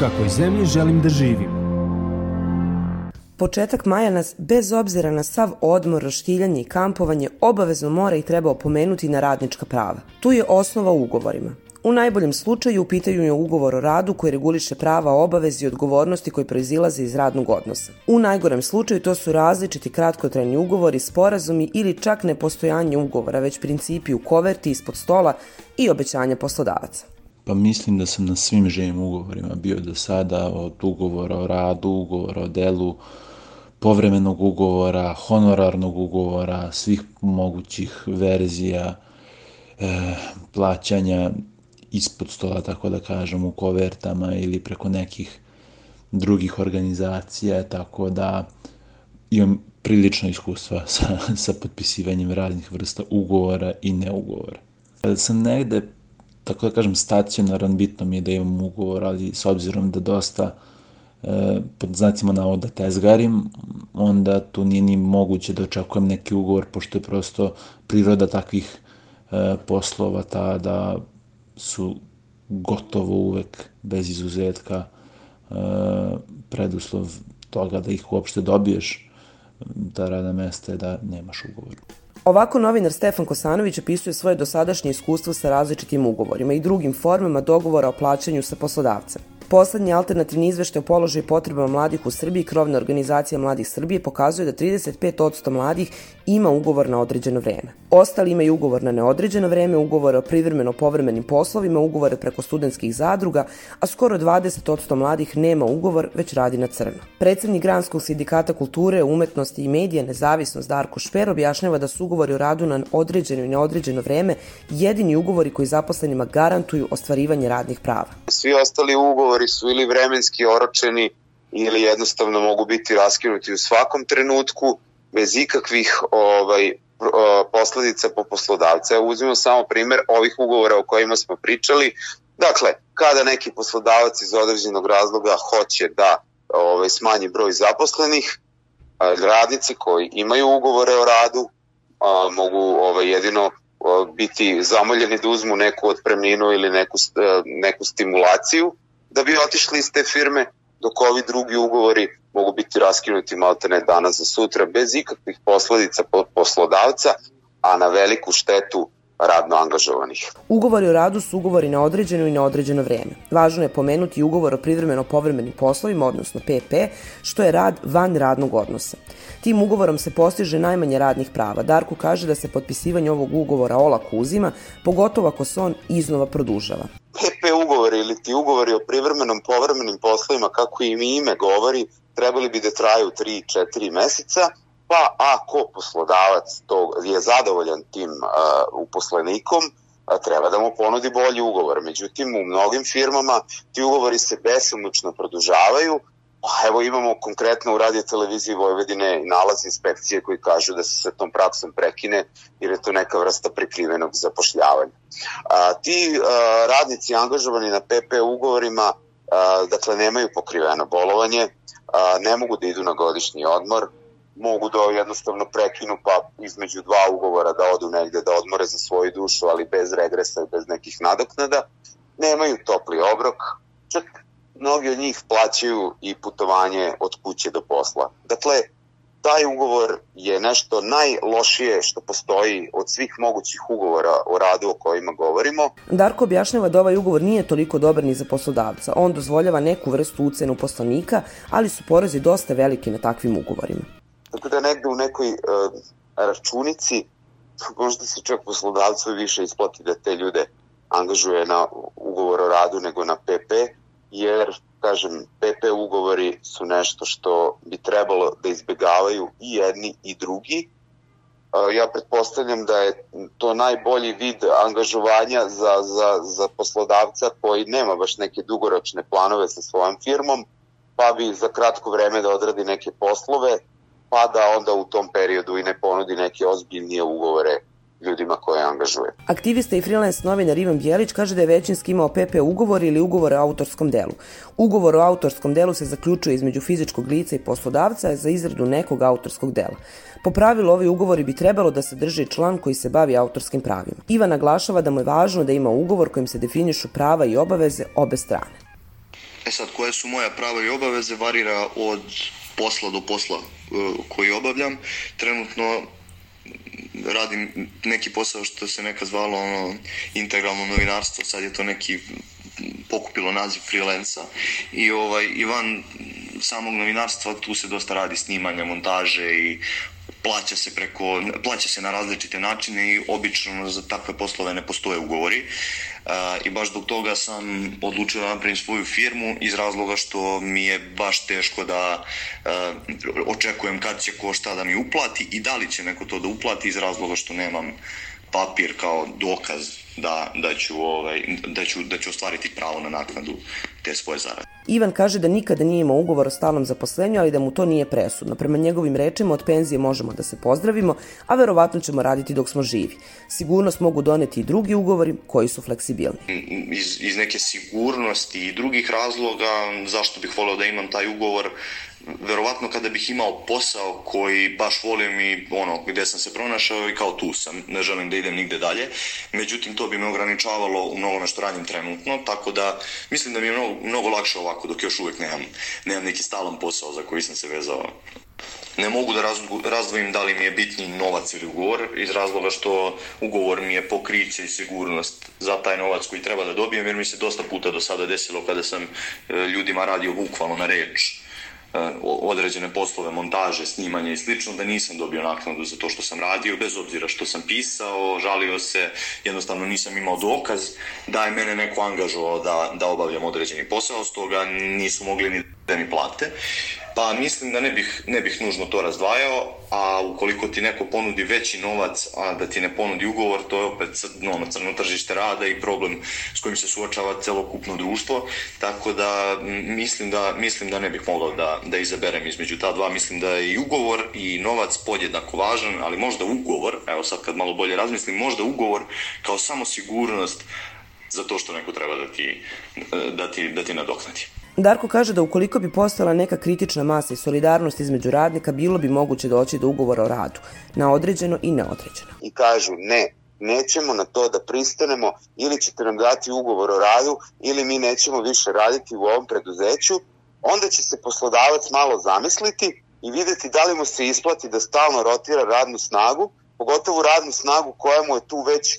kakvoj zemlji želim da živim. Početak maja nas, bez obzira na sav odmor, roštiljanje i kampovanje, obavezno mora i treba opomenuti na radnička prava. Tu je osnova u ugovorima. U najboljem slučaju u pitanju je ugovor o radu koji reguliše prava, obaveze i odgovornosti koji proizilaze iz radnog odnosa. U najgorem slučaju to su različiti kratkotrajni ugovori, sporazumi ili čak nepostojanje ugovora, već principi u koverti, ispod stola i obećanja poslodavaca. Pa mislim da sam na svim živim ugovorima bio do sada, od ugovora o radu, ugovora o delu, povremenog ugovora, honorarnog ugovora, svih mogućih verzija, plaćanja ispod stola, tako da kažem, u kovertama ili preko nekih drugih organizacija, tako da imam prilično iskustva sa potpisivanjem raznih vrsta ugovora i neugovora. Kada sam negde, tako da kažem, stacionaran, bitno mi je da imam ugovor, ali s obzirom da dosta, pod znacima navoda, tezgarim, onda tu nije ni moguće da očekujem neki ugovor, pošto je prosto priroda takvih poslova ta da su gotovo uvek, bez izuzetka, preduslov toga da ih uopšte dobiješ, ta radna mesta je da nemaš ugovor. Ovako novinar Stefan Kosanović opisuje svoje dosadašnje iskustvo sa različitim ugovorima i drugim formama dogovora o plaćanju sa poslodavcem. Poslednji alternativni izveštaj o položaju i potrebama mladih u Srbiji, krovna organizacija Mladih Srbije, pokazuje da 35% mladih ima ugovor na određeno vreme. Ostali imaju ugovor na neodređeno vreme, ugovore o privremeno-povremenim poslovima, ugovore preko studentskih zadruga, a skoro 20% mladih nema ugovor, već radi na crno. Predsednik Granskog sindikata kulture, umetnosti i medija Nezavisnost Darko Šper objašnjava da su ugovori o radu na određeno i neodređeno vreme jedini ugovori koji zaposlenima garantuju ostvarivanje radnih prava. Svi ostali ugovori su ili vremenski oročeni ili jednostavno mogu biti raskinuti u svakom trenutku bez ikakvih posledica po poslodavca. Uzmimo samo primer ovih ugovora o kojima smo pričali. Dakle, kada neki poslodavac iz određenog razloga hoće da smanji broj zaposlenih, radnici koji imaju ugovore o radu mogu jedino biti zamoljeni da uzmu neku otpremninu ili neku stimulaciju da bi otišli iz te firme, dok ovi drugi ugovori mogu biti raskinuti maltene danas za sutra bez ikakvih posledica po poslodavca, a na veliku štetu radno angažovanih. Ugovori o radu su ugovori na određeno i neodređeno vreme. Važno je pomenuti ugovor o privremeno-povremenim poslovima, odnosno PP, što je rad van radnog odnosa. Tim ugovorom se postiže najmanje radnih prava. Darko kaže da se potpisivanje ovog ugovora olako uzima, pogotovo ako se on iznova produžava. PP ugovori ili ti ugovori o privremenom-povremenim poslovima, kako im ime govori, trebali bi da traju 3-4 meseca, pa ako poslodavac je zadovoljan tim uposlenikom, treba da mu ponudi bolji ugovor. Međutim, u mnogim firmama ti ugovori se besomučno produžavaju. Evo imamo konkretno u Radio-televiziji Vojvodine nalaz inspekcije koji kažu da se sa tom praksom prekine jer je to neka vrsta prikrivenog zapošljavanja. Ti radnici angažovani na PP ugovorima dakle nemaju pokriveno bolovanje, ne mogu da idu na godišnji odmor, mogu da jednostavno prekinu pa između dva ugovora da odu negde da odmore za svoju dušu, ali bez regresa i bez nekih nadoknada, nemaju topli obrok, čak mnogi od njih plaćaju i putovanje od kuće do posla. Dakle, taj ugovor je nešto najlošije što postoji od svih mogućih ugovora o radu o kojima govorimo. Darko objašnjava da ovaj ugovor nije toliko dobar ni za poslodavca. On dozvoljava neku vrstu ucene uposlenika, ali su porezi dosta veliki na takvim ugovorima. Tako da negde u nekoj računici možda se čak poslodavcu više isplati da te ljude angažuje na ugovor o radu nego na PP, jer, kažem, PP ugovori su nešto što bi trebalo da izbegavaju i jedni i drugi. Ja pretpostavljam da je to najbolji vid angažovanja za poslodavca koji nema baš neke dugoročne planove sa svojom firmom, pa bi za kratko vreme da odradi neke poslove, pa da onda u tom periodu i ne ponudi neke ozbiljnije ugovore ljudima koje angažuje. Aktivista i freelance novinar Ivan Bjelić kaže da je većinski imao PP ugovor ili ugovor o autorskom delu. Ugovor o autorskom delu se zaključuje između fizičkog lica i poslodavca za izradu nekog autorskog dela. Po pravilu, ovi ugovori bi trebalo da sadrže član koji se bavi autorskim pravima. Ivan naglašava da mu je važno da ima ugovor kojim se definišu prava i obaveze obe strane. Sad, koje su moja prava i obaveze varira od posla do posla koji obavljam. Trenutno radim neki posao što se nekad zvalo integralno novinarstvo, sad je to neki pokupilo naziv freelansa i van samog novinarstva tu se dosta radi snimanja, montaže i plaća se na različite načine i obično za takve poslove ne postoje ugovori. I baš zbog toga sam odlučio da napravim svoju firmu iz razloga što mi je baš teško da očekujem kad će ko šta da mi uplati i da li će neko to da uplati iz razloga što nemam papir kao dokaz da ću ostvariti pravo na naknadu te svoje zarade. Ivan kaže da nikada nije imao ugovor o stalnom zaposlenju, ali da mu to nije presudno. Prema njegovim rečima, od penzije možemo da se pozdravimo, a verovatno ćemo raditi dok smo živi. Sigurnost mogu doneti i drugi ugovori koji su fleksibilni. Iz neke sigurnosti i drugih razloga zašto bih voleo da imam taj ugovor, verovatno kada bih imao posao koji baš volim i gde sam se pronašao i kao tu sam, ne želim da idem nigde dalje, međutim to bi me ograničavalo u mnogome što radim trenutno, tako da mislim da mi je mnogo lakše ovako dok još uvijek nemam neki stalan posao za koji sam se vezao. Ne mogu da razdvojim da li mi je bitniji novac ili ugovor iz razloga što ugovor mi je pokriće i sigurnost za taj novac koji treba da dobijem, jer mi se dosta puta do sada desilo kada sam ljudima radio bukvalno na reč određene poslove, montaže, snimanje i slično, da nisam dobio naknadu za to što sam radio, bez obzira što sam pisao, žalio se, jednostavno nisam imao dokaz da je mene neko angažovao da obavljam određeni posao, stoga nisu mogli ni da mi plate. Pa mislim da ne bih nužno to razdvajao, a ukoliko ti neko ponudi veći novac, a da ti ne ponudi ugovor, to je opet crno tržište rada i problem s kojim se suočava celokupno društvo, tako da mislim da ne bih mogao da izaberem između ta dva. Mislim da je i ugovor i novac podjednako važan, ali možda ugovor, evo sad kad malo bolje razmislim, možda ugovor kao samo sigurnost za to što neko treba da ti nadoknadi. Darko kaže da ukoliko bi postojala neka kritična masa i solidarnost između radnika, bilo bi moguće doći do ugovora o radu, na određeno i neodređeno. I kažu nećemo na to da pristanemo, ili ćete nam dati ugovor o radu, ili mi nećemo više raditi u ovom preduzeću, onda će se poslodavac malo zamisliti i videti da li mu se isplati da stalno rotira radnu snagu, pogotovo radnu snagu koja mu je tu već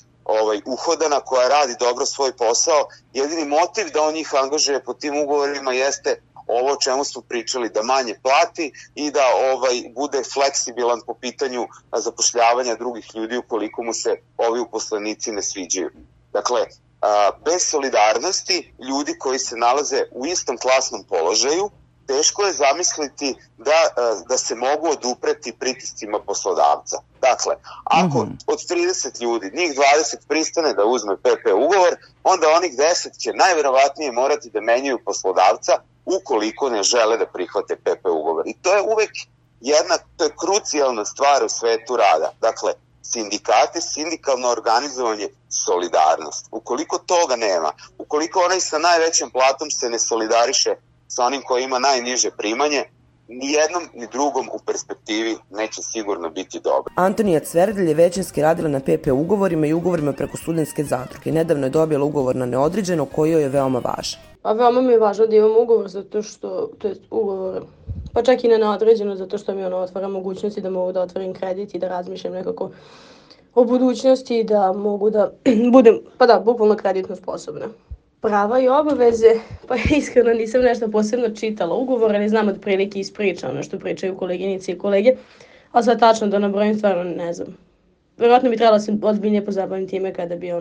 uhodana, koja radi dobro svoj posao. Jedini motiv da on njih angažuje po tim ugovorima jeste ovo o čemu smo pričali, da manje plati i da bude fleksibilan po pitanju zapošljavanja drugih ljudi ukoliko mu se ovi uposlenici ne sviđaju. Dakle, bez solidarnosti ljudi koji se nalaze u istom klasnom položaju, teško je zamisliti da se mogu odupreti pritiscima poslodavca. Dakle, ako od 30 ljudi, njih 20 pristane da uzme PP ugovor, onda onih 10 će najverovatnije morati da menjaju poslodavca ukoliko ne žele da prihvate PP ugovor. I to je uvek to je krucijalna stvar u svetu rada. Dakle, sindikati, sindikalno organizovanje, solidarnost. Ukoliko toga nema, ukoliko onaj sa najvećom platom se ne solidariše sa onim koji ima najniže primanje, ni jednom ni drugom u perspektivi neće sigurno biti dobro. Antonija Cverdelj je većinski radila na PP ugovorima i ugovorima preko studentske zadruge. Nedavno je dobila ugovor na neodređeno koji joj je veoma važan. A veoma mi je važno da imam ugovor zato što, to je ugovor, pa čak i na neodređeno zato što mi otvara mogućnosti da mogu da otvorim kredit i da razmišljam nekako o budućnosti i da mogu da budem, bukvalno kreditno sposobna. Prava i obaveze, pa iskreno nisam nešto posebno čitala ugovor, ali znam otprilike iz priča, ono što pričaju koleginice i kolege, a sad tačno da nabrojim stvarno ne znam. Vjerojatno bi trebala se ozbiljnije pozabaviti time kada bi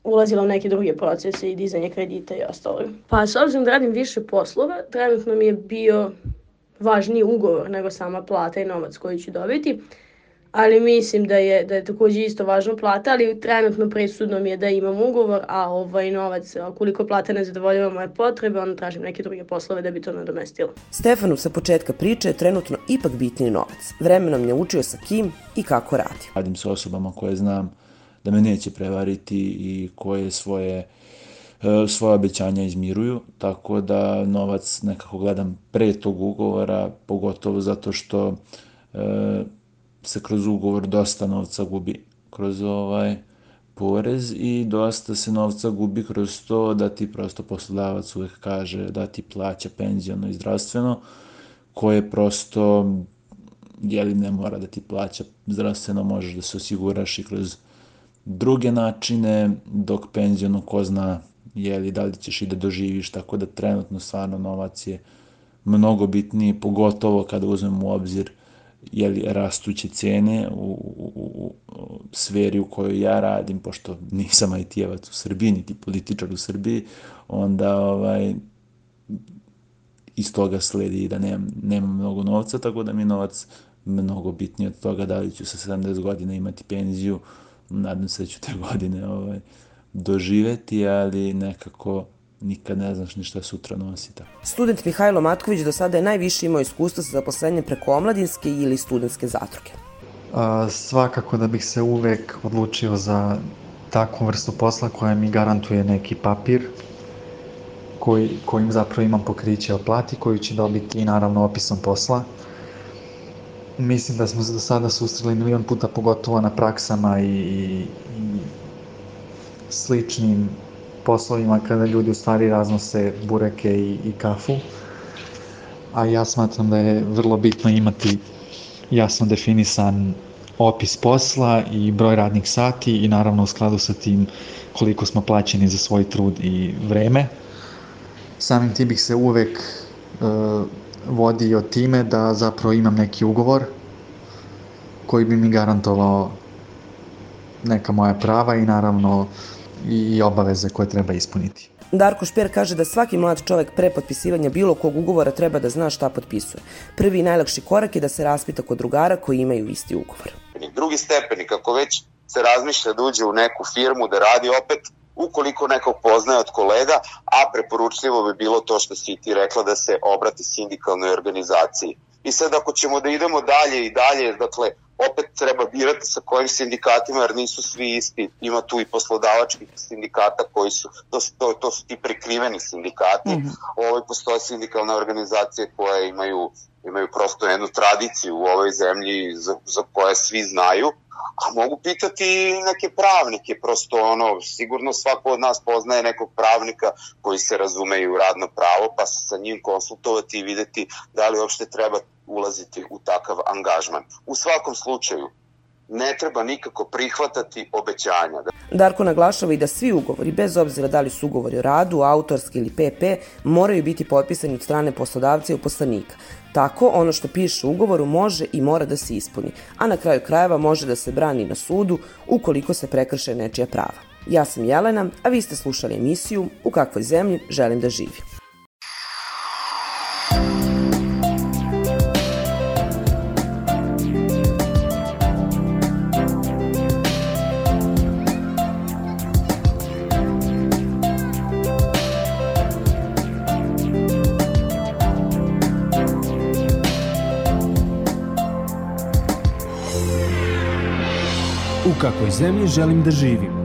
ulazila u neke druge procese i dizanje kredita i ostalo. Pa s obzirom da radim više poslova, trenutno mi je bio važniji ugovor nego sama plata i novac koji ću dobiti. Ali mislim da je također isto važno plata, ali trenutno presudno mi je da imam ugovor, a novac, koliko plata ne zadovoljava moje potrebe, onda tražim neke druge poslove da bi to nadomestilo. Stefanu sa početka priče je trenutno ipak bitniji novac. Vremenom je učio sa kim i kako radi. Radim sa osobama koje znam da me neće prevariti i koje svoje obećanja izmiruju, tako da novac nekako gledam pre tog ugovora, pogotovo zato što se kroz ugovor dosta novca gubi kroz porez i dosta se novca gubi kroz to da ti prosto poslodavac uvek kaže da ti plaća penziono i zdravstveno, koje prosto ne mora da ti plaća zdravstveno, možeš da se osiguraš i kroz druge načine, dok penziono ko zna da li ćeš i da doživiš, tako da trenutno stvarno novac je mnogo bitniji, pogotovo kada uzmemo u obzir rastuće cene u sferi u kojoj ja radim, pošto nisam IT-evac u Srbiji, niti političar u Srbiji, onda iz toga sledi da nemam mnogo novca, tako da mi je novac mnogo bitniji od toga da li ću sa 70 godina imati penziju. Nadam se da ću te godine doživeti, ali nekako nikad ne znaš ni šta sutra nosi. Student Mihajlo Matković do sada je najviše imao iskustva sa zaposlenjem preko omladinske ili studentske zadruge. Svakako da bih se uvek odlučio za takvu vrstu posla koja mi garantuje neki papir kojim zapravo imam pokriće o plati, koju ću dobiti i naravno opisom posla. Mislim da smo se do sada susreli milion puta, pogotovo na praksama i sličnim poslovima kada ljudi u stvari raznose bureke i kafu. A ja smatram da je vrlo bitno imati jasno definisan opis posla i broj radnih sati i naravno u skladu sa tim koliko smo plaćeni za svoj trud i vreme. Samim tim bih se uvek vodio time da zapravo imam neki ugovor koji bi mi garantovao neka moja prava i naravno i obaveze koje treba ispuniti. Darko Šper kaže da svaki mlad čovek pre potpisivanja bilo kog ugovora treba da zna šta potpisuje. Prvi i najlakši korak je da se raspita kod drugara koji imaju isti ugovor. Drugi stepeni, kako već se razmišlja da uđe u neku firmu, da radi opet, ukoliko nekog poznaje od kolega, a preporučljivo bi bilo to što si ti rekla da se obrati sindikalnoj organizaciji. I sad ako ćemo da idemo dalje i dalje, dakle, opet treba birati sa kojim sindikatima, jer nisu svi isti. Ima tu i poslodavačkih sindikata koji su, to su ti prikriveni sindikati. Postoje sindikalne organizacije koje imaju prosto jednu tradiciju u ovoj zemlji za koje svi znaju. A mogu pitati i neke pravnike, prosto sigurno svako od nas poznaje nekog pravnika koji se razume u radno pravo, pa se sa njim konsultovati i videti da li uopšte treba ulaziti u takav angažman. U svakom slučaju, ne treba nikako prihvatati obećanja. Darko naglašava i da svi ugovori, bez obzira da li su ugovori o radu, autorski ili PP, moraju biti potpisani od strane poslodavca i uposlenika. Tako, ono što piše u ugovoru može i mora da se ispuni, a na kraju krajeva može da se brani na sudu ukoliko se prekrše nečija prava. Ja sam Jelena, a vi ste slušali emisiju U kakvoj zemlji želim da živim. U kakvoj zemlji želim da živim.